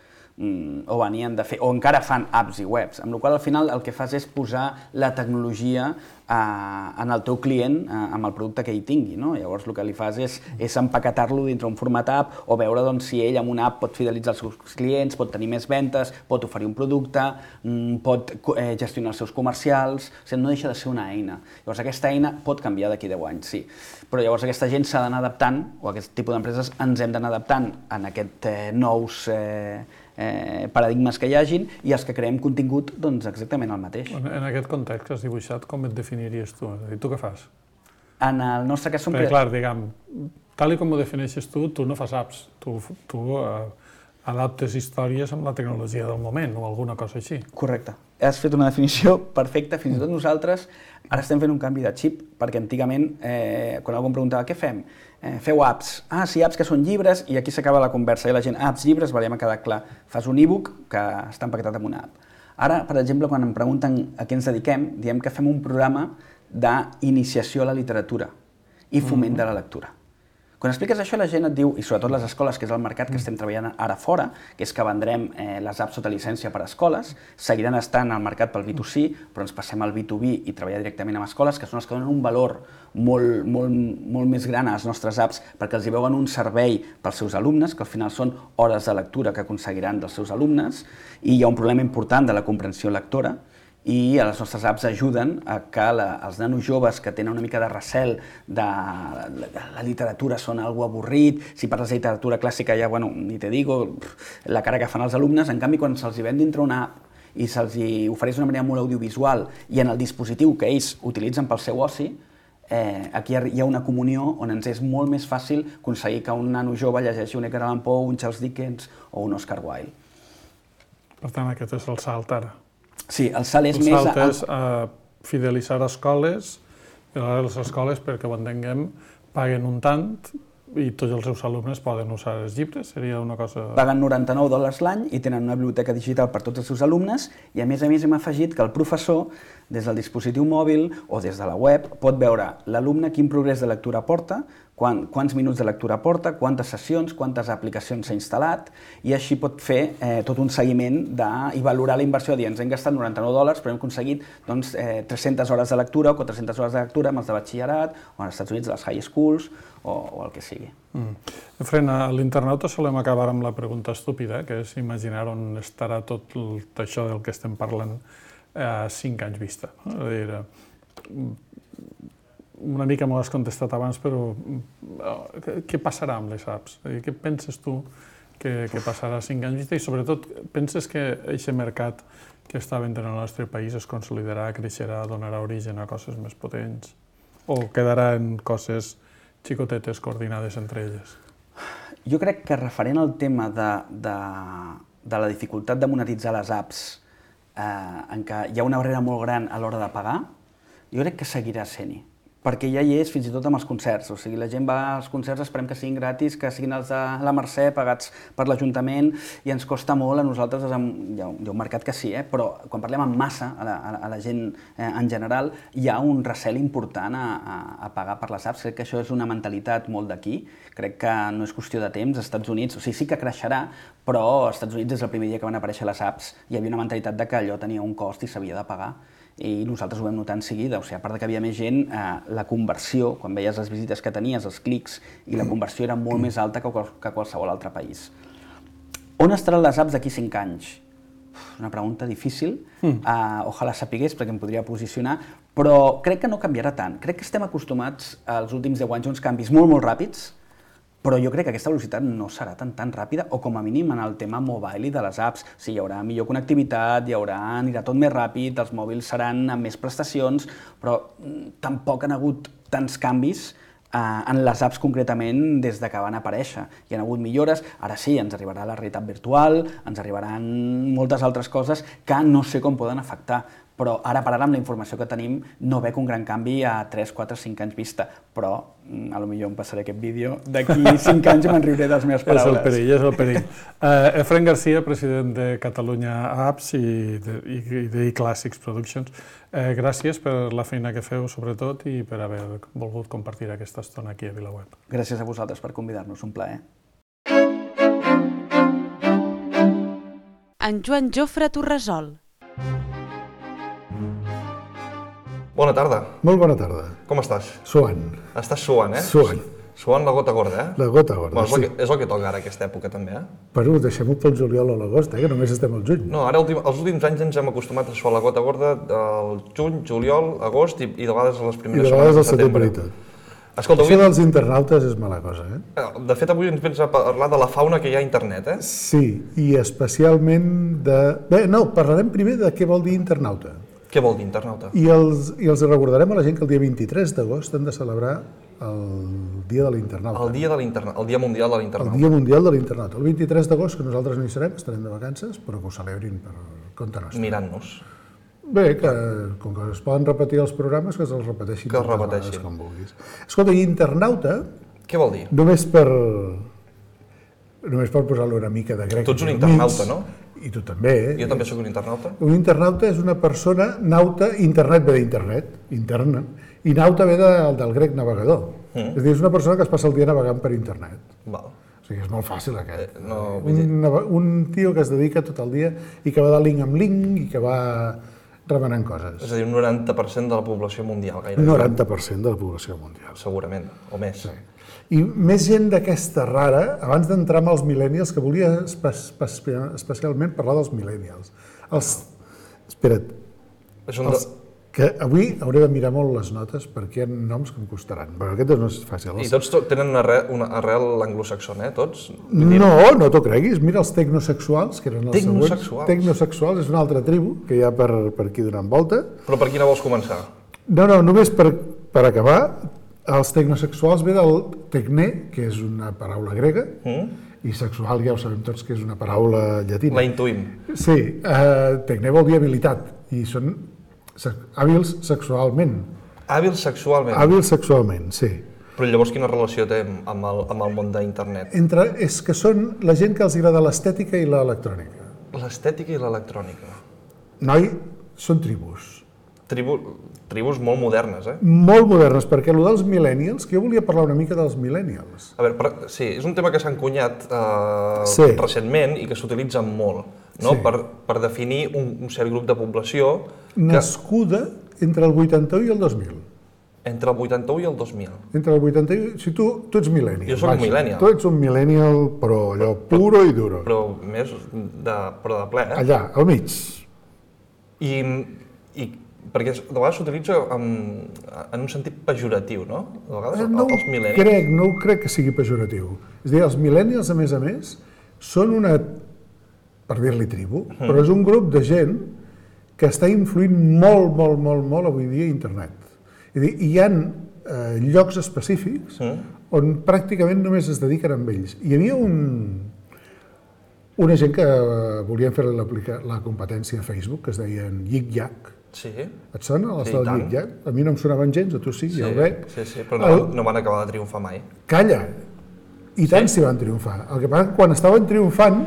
o encara fan apps i webs, amb la qual cosa al final el que fas és posar la tecnologia en el teu client amb el producte que ell tingui, no? Llavors el que li fas és empaquetar-lo dintre un format app o veure si ell amb una app pot fidelitzar els seus clients, pot tenir més ventes, pot oferir un producte, pot gestionar els seus comercials, o sigui, no deixa de ser una eina. Llavors aquesta eina pot canviar d'aquí 10 anys, sí, però llavors aquesta gent s'ha d'anar adaptant, o aquest tipus d'empreses ens hem d'anar adaptant en aquests nous paradigmes que hi hagin, i els que creem contingut, doncs exactament el mateix. En aquest context que has dibuixat, com et definiries tu? És a dir, tu què fas? En el nostre cas som... Perquè, clar, diguem, tal com ho defineixes tu no fas apps, tu adaptes històries amb la tecnologia del moment o alguna cosa així. Correcte. Has fet una definició perfecta, fins i tot nosaltres ara estem fent un canvi de xip, perquè antigament, quan algú em preguntava què fem, feu apps. Ah, sí, apps que són llibres, i aquí s'acaba la conversa, i la gent, apps, llibres, ja m'ha quedat clar. Fas un e-book que està empaquetat en una app. Ara, per exemple, quan em pregunten a què ens dediquem, diem que fem un programa d'iniciació a la literatura i foment de la lectura. Quan expliques això, la gent et diu, i sobretot les escoles, que és el mercat que estem treballant ara fora, que és que vendrem les apps sota llicència per a escoles, seguiran estant al mercat pel B2C, però ens passem al B2B i treballar directament amb escoles, que són les que donen un valor molt més gran a les nostres apps, perquè els hi veuen un servei pels seus alumnes, que al final són hores de lectura que aconseguiran dels seus alumnes, i hi ha un problema important de la comprensió lectora, i les nostres apps ajuden a que els nanos joves que tenen una mica de recel de la literatura són algo avorrit, si parles de literatura clàssica ja, bueno, ni te digo, la cara que fan els alumnes, en canvi quan se'ls ven dintre una app i se'ls ofereix d'una manera molt audiovisual i en el dispositiu que ells utilitzen pel seu oci, aquí hi ha una comunió on ens és molt més fàcil aconseguir que un nano jove llegeixi un Edgar Allan Poe, un Charles Dickens o un Oscar Wilde. Per tant, aquest és el salt ara. Sí, el salt és més... El salt és fidelitzar escoles, i les escoles, perquè ho entenguem, paguen un tant i tots els seus alumnes poden usar els llibres? Seria una cosa... Paguen $99 l'any i tenen una biblioteca digital per tots els seus alumnes i a més hem afegit que el professor, des del dispositiu mòbil o des de la web, pot veure l'alumne quin progrés de lectura porta, quants minuts de lectura porta, quantes sessions, quantes aplicacions s'ha instal·lat i així pot fer tot un seguiment i valorar la inversió. Ens hem gastat $99 però hem aconseguit 300 hores de lectura o 400 hores de lectura amb els de batxillerat o als Estats Units les high schools o el que sigui. Efraín, a l'internauta solem acabar amb la pregunta estúpida, que és imaginar on estarà tot això del que estem parlant a 5 anys vista. Una mica m'ho has contestat abans, però què passarà amb les apps? Què penses tu que passarà a 5 anys vista? I sobretot, penses que aquest mercat que està venent en el nostre país es consolidarà, creixerà, donarà origen a coses més potents? O quedarà en coses xicotetes coordinades entre elles? Jo crec que referent al tema de la dificultat de monetitzar les apps, en què hi ha una barrera molt gran a l'hora de pagar, jo crec que seguirà sent-hi. Perquè ja hi és fins i tot amb els concerts. O sigui, la gent va als concerts, esperem que siguin gratis, que siguin els de la Mercè, pagats per l'Ajuntament, i ens costa molt a nosaltres, hi ha un mercat que sí, però quan parlem en massa, a la gent en general, hi ha un recel important a pagar per les apps. Crec que això és una mentalitat molt d'aquí. Crec que no és qüestió de temps. Als Estats Units, o sigui, sí que creixerà, però als Estats Units, des del primer dia que van aparèixer les apps, hi havia una mentalitat de que allò tenia un cost i s'havia de pagar. I nosaltres ho vam notar en seguida, o sigui, a part que havia més gent, la conversió, quan veies les visites que tenies, els clics, i la conversió era molt més alta que qualsevol altre país. On estaran les apps d'aquí 5 anys? Una pregunta difícil, ojalà sapigués perquè em podria posicionar, però crec que no canviarà tant. Crec que estem acostumats als últims 10 anys a uns canvis molt, molt ràpids, però jo crec que aquesta velocitat no serà tan ràpida, o com a mínim en el tema mobile i de les apps. Sí, hi haurà millor connectivitat, anirà tot més ràpid, els mòbils seran amb més prestacions, però tampoc han hagut tants canvis en les apps concretament des de que van aparèixer. Hi ha hagut millores, ara sí, ens arribarà la realitat virtual, ens arribaran moltes altres coses que no sé com poden afectar, però ara per ara amb la informació que tenim no veig un gran canvi a 3, 4, 5 anys vista, però potser em passaré aquest vídeo, d'aquí 5 anys me'n riuré de les meves paraules. És el perill. Efraín García, president de Catalunya Apps i d'eClassics Productions, gràcies per la feina que feu, sobretot, i per haver volgut compartir aquesta estona aquí a VilaWeb. Gràcies a vosaltres per convidar-nos, un plaer. En Joan Jofre Torresol. Bona tarda. Molt bona tarda. Com estàs? Suant. Estàs suant, eh? Suant. Suant la gota gorda, eh? La gota gorda, sí. És el que toca ara aquesta època, també, eh? Però deixem-ho pel juliol o l'agost, que només estem al juny. No, ara els últims anys ens hem acostumat a suar la gota gorda del juny, juliol, agost i de vegades a les primeres setmanes de setembre. I de vegades al setembre i tot. Escolta, això dels internautes és mala cosa, eh? De fet, avui ens vens a parlar de la fauna que hi ha a internet, eh? Sí, i especialment de... Bé, no, parlarem primer de què vol dir internauta. Què vol dir internauta? I els recordarem a la gent que el dia 23 d'agost hem de celebrar el Dia de l'Internauta. El Dia Mundial de l'Internauta. El Dia Mundial de l'Internauta. El 23 d'agost, que nosaltres no hi serem, estarem de vacances, però que ho celebrin per compte nostre. Mirant-nos. Bé, que com que es poden repetir els programes, que els repeteixin tantes vegades com vulguis. Escolta, i internauta... Què vol dir? Només per posar-lo una mica de grec. Tu ets un internauta, no? I tu també, eh? Jo també sóc un internauta. Un internauta és una persona, nauta, internet ve d'internet, interna, i nauta ve del grec navegador. És a dir, és una persona que es passa el dia navegant per internet. Val. O sigui, és molt fàcil aquest. Un tio que es dedica tot el dia i que va de link en link i que va remenant coses. És a dir, un 90% de la població mundial, gairebé. 90% de la població mundial. Segurament, o més. Sí. I més gent d'aquesta rara, abans d'entrar amb els millennials, que volia especialment parlar dels millennials. Espera't, que avui hauré de mirar molt les notes perquè hi ha noms que em costaran. Però aquest no és fàcil. I tots tenen una arrel anglosaxona, tots? No t'ho creguis. Mira els tecnosexuals, que eren els següents. Tecnosexuals és una altra tribu que hi ha per aquí donant volta. Però per quina vols començar? No, només per acabar. Els tecnosexuals ve del tecne, que és una paraula grega, i sexual ja ho sabem tots que és una paraula llatina. La intuïm. Sí, tecne vol dir habilitat, i són hàbils sexualment. Hàbils sexualment? Hàbils sexualment, sí. Però llavors quina relació té amb el món d'internet? És que són la gent que els agrada l'estètica i l'electrònica. L'estètica i l'electrònica. Noi, són tribus. Tribus molt modernes, Molt modernes, perquè el dels millennials, que jo volia parlar una mica dels millennials. A veure, sí, és un tema que s'ha encunyat recentment i que s'utilitza molt, no? Per definir un cert grup de població nascuda entre el 81 i el 2000. Entre el 81 i el 2000. Entre el 81... Si tu ets millennial. Jo soc un millennial. Tu ets un millennial, però allò puro i duro. Però més de ple, Allà, al mig. I perquè de vegades s'utilitza en un sentit pejoratiu, no? De vegades els millennials... No crec que sigui pejoratiu. És a dir, els millennials, a més, són una, per dir-li tribu, però és un grup de gent que està influint molt avui dia a internet. És a dir, hi ha llocs específics on pràcticament només es dediquen amb ells. Hi havia una gent que volien fer la competència a Facebook, que es deien Yik Yak. Sí. Et sona, les del Yik Yak? A mi no em sonaven gens, a tu sí, ja ho veig. Sí, però no van acabar de triomfar mai. Calla! I tant s'hi van triomfar. El que passa és que quan estaven triomfant,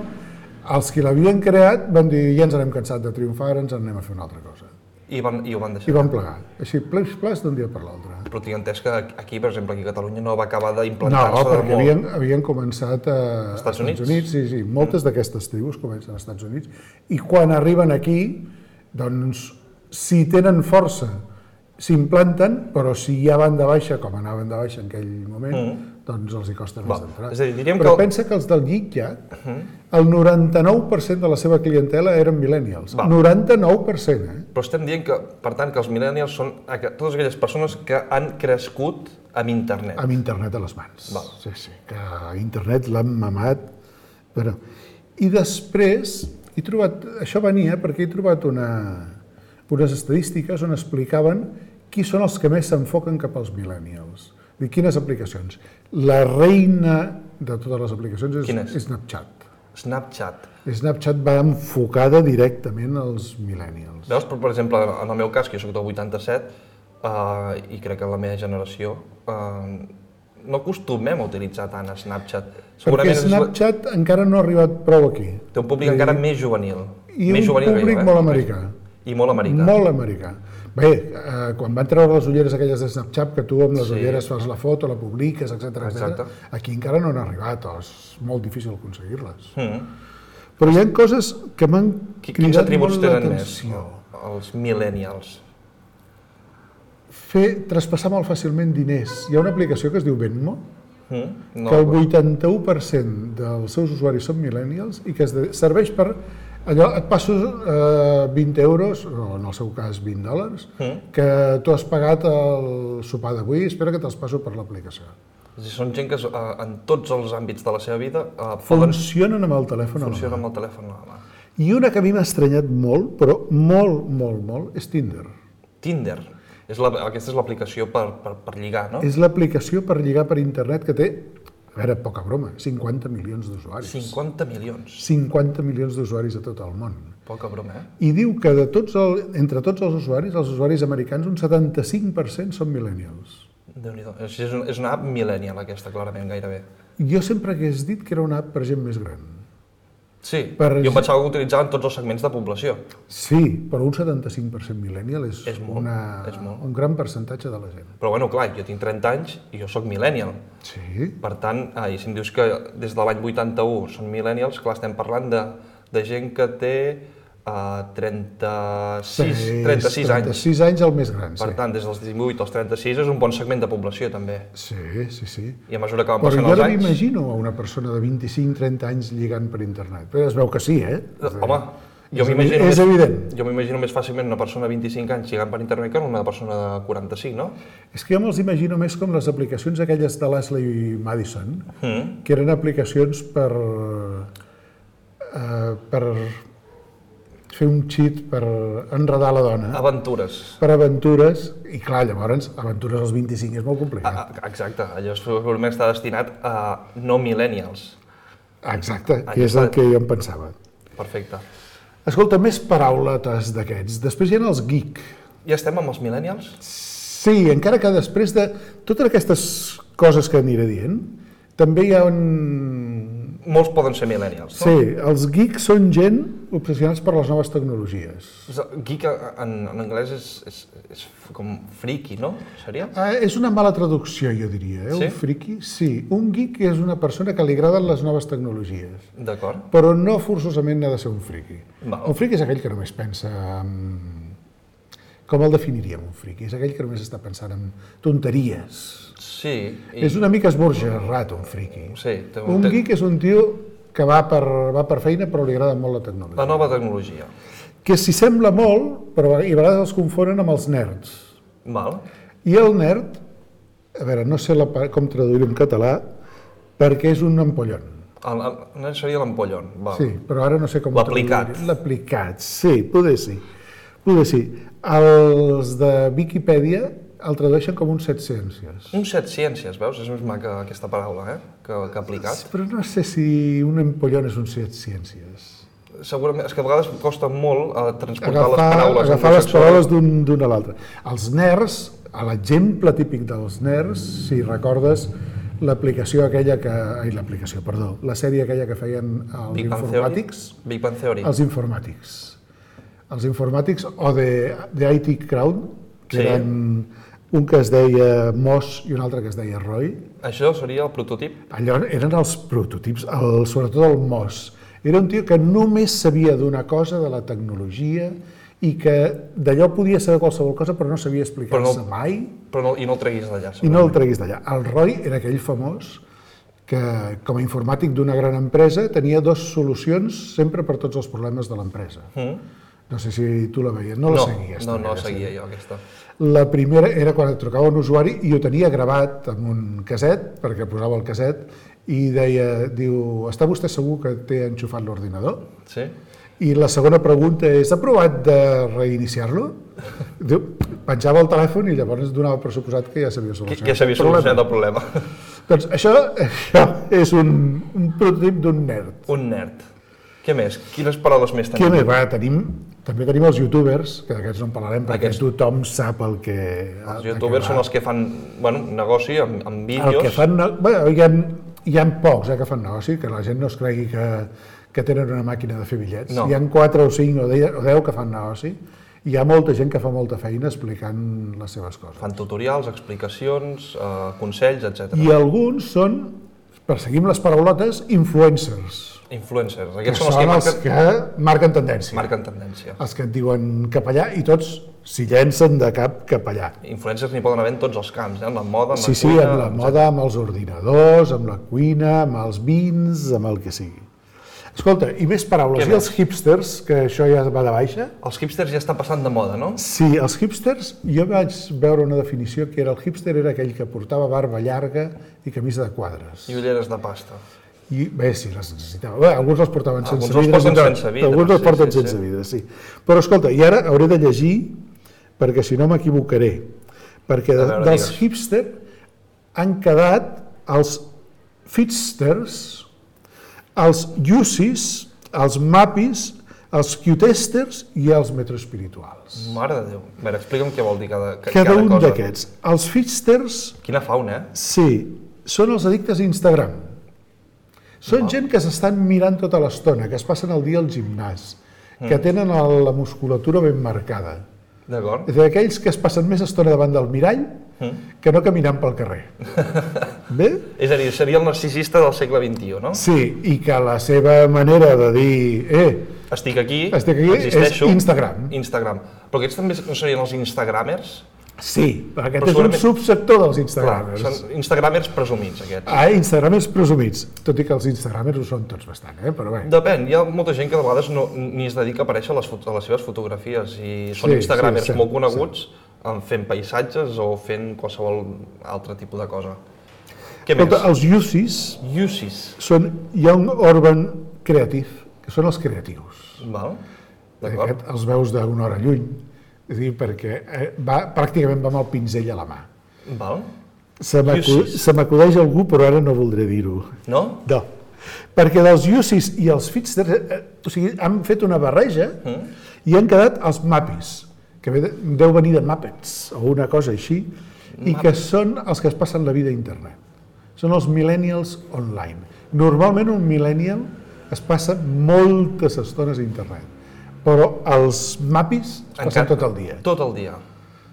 els que l'havien creat van dir ja ens n'hem cansat de triomfar, ara ens n'anem a fer una altra cosa. I ho van deixar. I van plegar. Així, ples d'un dia per l'altre. Però tinc entès que aquí, per exemple, aquí a Catalunya no va acabar d'implantar-se de molt. No, perquè havien començat a Estats Units. Sí. Moltes d'aquestes tribus comencen als Estats Units. I quan arriben aquí, doncs, si tenen força, s'implanten, però si ja van de baixa, com anaven de baixa en aquell moment, doncs els hi costa més d'entrar. Però pensa que els del Yik Yak, el 99% de la seva clientela eren millennials. 99%, Però estem dient que, per tant, que els millennials són totes aquelles persones que han crescut amb internet. Amb internet a les mans. Sí, que internet l'han mamat. I després, això venia perquè he trobat unes estadístiques on explicaven qui són els que més s'enfoquen cap als millennials. Quines aplicacions? La reina de totes les aplicacions és Snapchat. Snapchat va enfocada directament als millennials. Veus, per exemple, en el meu cas, que jo soc del 87, i crec que en la meva generació, no acostumem a utilitzar tant Snapchat. Perquè Snapchat encara no ha arribat prou aquí. Té un públic encara més juvenil. I un públic molt americà. I molt americà. Molt americà. Bé, quan van treure les ulleres aquelles de Snapchat, que tu amb les ulleres fas la foto, la publiques, etc. Aquí encara no han arribat, és molt difícil aconseguir-les. Però hi ha coses que m'han cridat molt l'atenció. Els millennials. Traspassar molt fàcilment diners. Hi ha una aplicació que es diu Venmo, que el 81% dels seus usuaris són millennials i que serveix per... Allò, et passo 20 euros, o en el seu cas $20, que tu has pagat el sopar d'avui, espera que te'ls passo per l'aplicació. Són gent que en tots els àmbits de la seva vida funcionen amb el telèfon a la mà. I una que a mi m'ha estranyat molt, però molt, és Tinder. Tinder? Aquesta és l'aplicació per lligar, no? És l'aplicació per lligar per internet que té, a veure, poca broma, 50 milions d'usuaris. 50 milions? 50 milions d'usuaris a tot el món. Poca broma, I diu que entre tots els usuaris americans, un 75% són millennials. Déu-n'hi-do. És una app millennial aquesta, clarament, gairebé. Jo sempre hagués dit que era una app per gent més gran. Sí, jo em pensava que utilitzaven tots els segments de població. Sí, però un 75% millennial és un gran percentatge de la gent. Però bueno, clar, jo tinc 30 anys i jo sóc millennial. Sí. Per tant, i si em dius que des de l'any 81 són millennials, clar, estem parlant de gent que té 36 anys. 36 anys el més gran, sí. Per tant, des dels 18 als 36 és un bon segment de població, també. Sí. I a mesura que van passant els anys... Però jo no m'imagino a una persona de 25-30 anys lligant per internet. Però es veu que sí, Home, és evident. Jo m'imagino més fàcilment una persona de 25 anys lligant per internet que una persona de 45, no? És que jo me'ls imagino més com les aplicacions aquelles de l'Ashley Madison, que eren aplicacions per fer un cheat per enredar la dona. Aventures. Per aventures, i clar, llavors, aventures als 25 és molt complicat. Exacte, allò segurament està destinat a no millennials. Exacte, que és el que jo em pensava. Perfecte. Escolta, més parauletes d'aquests. Després hi ha els geek. Ja estem amb els millennials? Sí, encara que després de totes aquestes coses que aniré dient, també hi ha Molts poden ser millennials, no? Sí, els geeks són gent obsessionats per les noves tecnologies. Geek en anglès és com friki, no? Seria? És una mala traducció, jo diria. Sí? Un friki? Sí. Un geek és una persona que li agraden les noves tecnologies. D'acord. Però no forçosament ha de ser un friki. Val. Un friki és aquell que només pensa en... Com el definiríem, un friki? És aquell que només està pensant en tonteries. Sí. És una mica esborgerrat, un friki. Sí. Un geek és un tio que va per feina però li agrada molt la tecnologia. La nova tecnologia. Que s'hi sembla molt, però a vegades els confonen amb els nerds. Val. I el nerd, a veure, no sé com traduir-ho en català, perquè és un ampollon. El nerd seria l'ampollon. Sí, però ara no sé com L'aplicat. L'aplicat, sí, poder sí. Poder sí. Els de Viquipèdia el tradueixen com un set ciències. Un set ciències, veus? És més maca aquesta paraula, que aplicat. Però no sé si un ampollon és un set ciències. Segurament, és que a vegades costa molt transportar les paraules. Agafar les paraules d'un a l'altre. Els nerds, l'exemple típic dels nerds, si recordes, l'aplicació aquella que... l'aplicació, perdó, la sèrie aquella que feien els informàtics. Big Bang Theory. Els informàtics. Els informàtics, o de IT Crowd, que eren un que es deia Moss i un altre que es deia Roy. Això seria el prototip? Allò eren els prototips, sobretot el Moss. Era un tio que només sabia d'una cosa, de la tecnologia, i que d'allò podia saber qualsevol cosa, però no sabia explicar-se mai. I no el treguis d'allà. I no el treguis d'allà. El Roy era aquell famós que, com a informàtic d'una gran empresa, tenia dues solucions sempre per tots els problemes de l'empresa. No sé si tu la veies, no la seguies. No la seguia jo, aquesta. La primera era quan et trucava un usuari i ho tenia gravat amb un caset, perquè posava el caset, i diu, està vostè segur que té enxufat l'ordinador? Sí. I la segona pregunta és, ha provat de reiniciar-lo? Penjava el telèfon i llavors donava per suposat que ja s'havia solucionat. Que s'havia solucionat el problema. Doncs això és un prototip d'un nerd. Un nerd. Què més? Quines paraules més tenim? Què més? També tenim els youtubers, que d'aquests no en parlarem perquè tothom sap el que... Els youtubers són els que fan negoci amb vídeos. El que fan... Hi ha pocs que fan negoci, que la gent no es cregui que tenen una màquina de fer bitllets. No. Hi ha 4 o 5 o 10 que fan negoci. Hi ha molta gent que fa molta feina explicant les seves coses. Fan tutorials, explicacions, consells, etc. I alguns són, perseguim les paraulotes, influencers. Influencers. Aquests són els que marquen tendència. Marquen tendència. Els que et diuen cap allà i tots s'hi llencen de cap allà. Influencers n'hi poden haver en tots els camps, en la moda, en la cuina... Sí, en la moda, amb els ordinadors, amb la cuina, amb els vins, amb el que sigui. Escolta, i més paraules. I els hipsters, que això ja va de baixa? Els hipsters ja estan passant de moda, no? Sí, els hipsters, jo vaig veure una definició que era el hipster era aquell que portava barba llarga i camisa de quadres. I ulleres de pasta. I bé, sí, les necessitava. Bé, alguns els portaven sense vida. Alguns els porten sense vida, sí. Però escolta, i ara hauré de llegir, perquè si no m'equivocaré, perquè dels hipster han quedat els fitsters, els yusis, els mapis, els cutesters i els metroespirituals. Mare de Déu. A veure, explica'm què vol dir cada cosa. Cada un d'aquests. Els fitsters... Quina fauna, Sí, són els addictes a Instagram. Són gent que s'estan mirant tota l'estona, que es passen el dia al gimnàs, que tenen la musculatura ben marcada. D'acord. És d'aquells que es passen més estona davant del mirall que no caminant pel carrer. Bé? És a dir, seria el narcisista del segle XXI, no? Sí, i que la seva manera de dir estic aquí, és existeixo, Instagram. Però aquests també no serien els instagramers? Sí, aquest és un subsector dels instagramers. Són instagramers presumits, aquests. Instagramers presumits, tot i que els instagramers ho són tots bastant, però bé. Depèn, hi ha molta gent que de vegades ni es dedica a aparèixer a les seves fotografies i són instagramers molt coneguts fent paisatges o fent qualsevol altre tipus de cosa. Què més? Els yusis són Young Urban Creative, que són els creatius. Val, d'acord. Els veus d'una hora lluny. És a dir, perquè pràcticament va amb el pinzell a la mà. Val. Se m'acudeix algú, però ara no voldré dir-ho. No? No. Perquè dels yusis i els fitsters, han fet una barreja i han quedat els mapis, que deu venir de Muppets o una cosa així, i que són els que es passen la vida a internet. Són els millennials online. Normalment un millennial es passa moltes estones a internet, però els mapis es passen tot el dia. Tot el dia.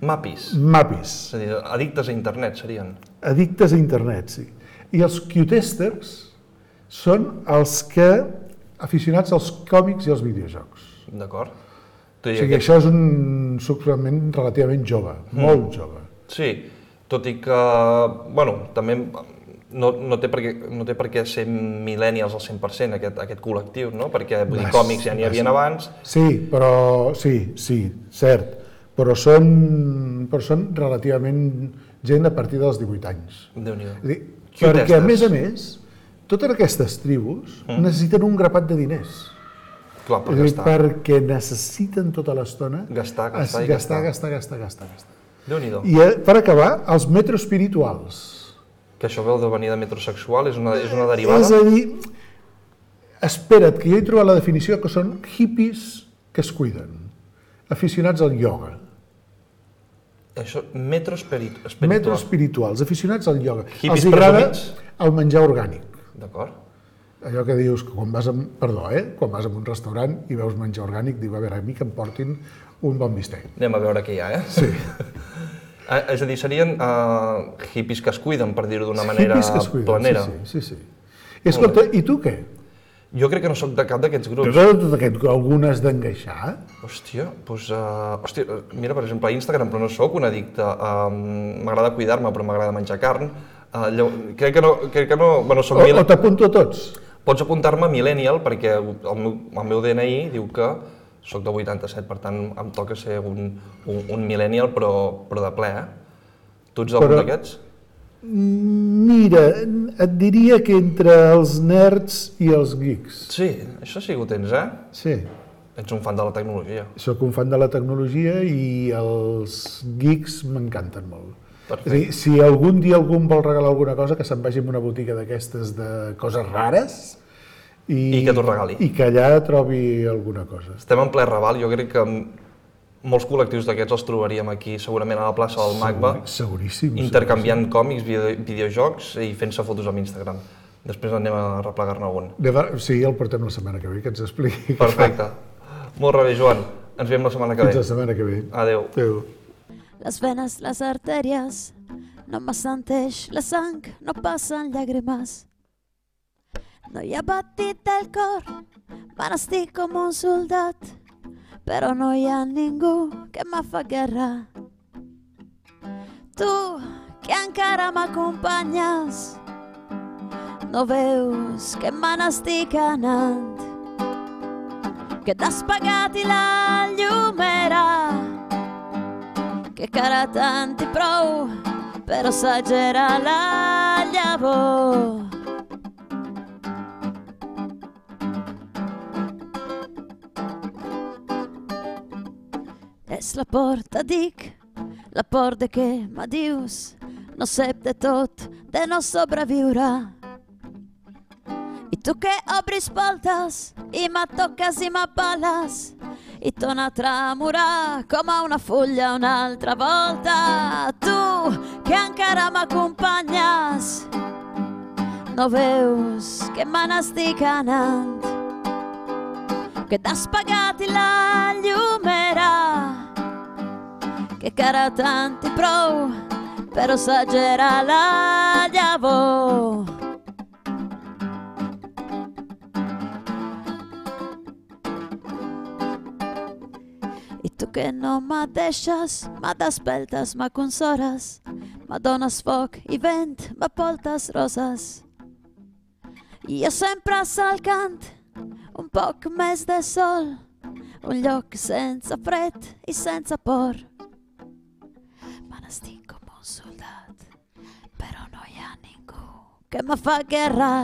Mapis. Mapis. És a dir, addictes a internet serien. Addictes a internet, sí. I els Q-testers són els que aficionats als còmics i als videojocs. D'acord. O sigui, això és un suplement relativament jove, molt jove. Sí, tot i que, bueno, també no té per què ser millennials al 100% aquest col·lectiu, no? Perquè, vull dir, còmics ja n'hi havia abans. Sí, però, sí, cert. Però són relativament gent a partir dels 18 anys. Déu-n'hi-do. Perquè, a més, totes aquestes tribus necessiten un grapat de diners. Clar, per gastar. Perquè necessiten tota l'estona gastar. Déu-n'hi-do. I per acabar, els metroespirituals. Que això veu de venir de metrosexual, és una derivada? És a dir, espera't, que jo he trobat la definició que són hippies que es cuiden, aficionats al ioga. Això, metroespirituals. Metroespirituals, aficionats al ioga. Hippies els agrada presumits? el menjar orgànic. D'acord. Allò que dius que quan vas a un restaurant i veus menjar orgànic, diu, a veure, a mi que em portin un bon bistec. Anem a veure què hi ha, Sí. És a dir, serien hippies que es cuiden, per dir-ho d'una manera planera. Sí. Escolta, i tu què? Jo crec que no sóc de cap d'aquests grups. Algun has d'engaixar? Hòstia, mira, per exemple, a Instagram, però no sóc un addicte. M'agrada cuidar-me, però m'agrada menjar carn. Crec que no... Bueno, o t'apunto a tots? Pots apuntar-me a Millennial, perquè el meu DNI diu que soc de 87, per tant em toca ser un Millennial, però de ple, Tu ets algun d'aquests? Mira, et diria que entre els nerds i els geeks. Sí, això sí que ho tens, Sí. Ets un fan de la tecnologia. Soc un fan de la tecnologia i els geeks m'encanten molt. Perfecte. És a dir, si algun dia algú em vol regalar alguna cosa, que se'n vagi a una botiga d'aquestes de coses rares i que t'ho regali. I que allà trobi alguna cosa. Estem en ple Raval, jo crec que molts col·lectius d'aquests els trobaríem aquí, segurament a la plaça del MACBA, seguríssim, intercanviant còmics, videojocs i fent-se fotos amb Instagram. Després anem a replegar-ne algun. Sí, el portem la setmana que ve, que ens expliqui. Perfecte. Molt bé, Joan. Ens veiem la setmana que ve. Fins la setmana que ve. Adéu. Adéu. Las venas, las arterias, no m'assenteix la sang, no passen llàgrimes. No hi ha batit del cor, me n'estic com un soldat, però no hi ha ningú que me fa guerra. Tu, que encara m'acompanyes, no veus que me n'estic anant, que t'has pagat i la llum era, que cara tant i prou per assagerar la llavor. És la por, te dic, la por de què me dius, no sé de tot, de no sobreviure. I tu que obris voltes i me toques i m'apales i torna a tremorar com a una fulla una altra volta. Tu que encara m'acompanyes, no veus que me n'estic anant, que t'has pagat i la llum era, que cara tant i prou per assagerar la llavor. I tu que no me deixes, me despertes, me consoles, me dones foc i vent, me portes roses. I jo sempre cercant un poc més de sol, un lloc sense fred i sense por. Me n'estic com un soldat, però no hi ha ningú que me fa guerra.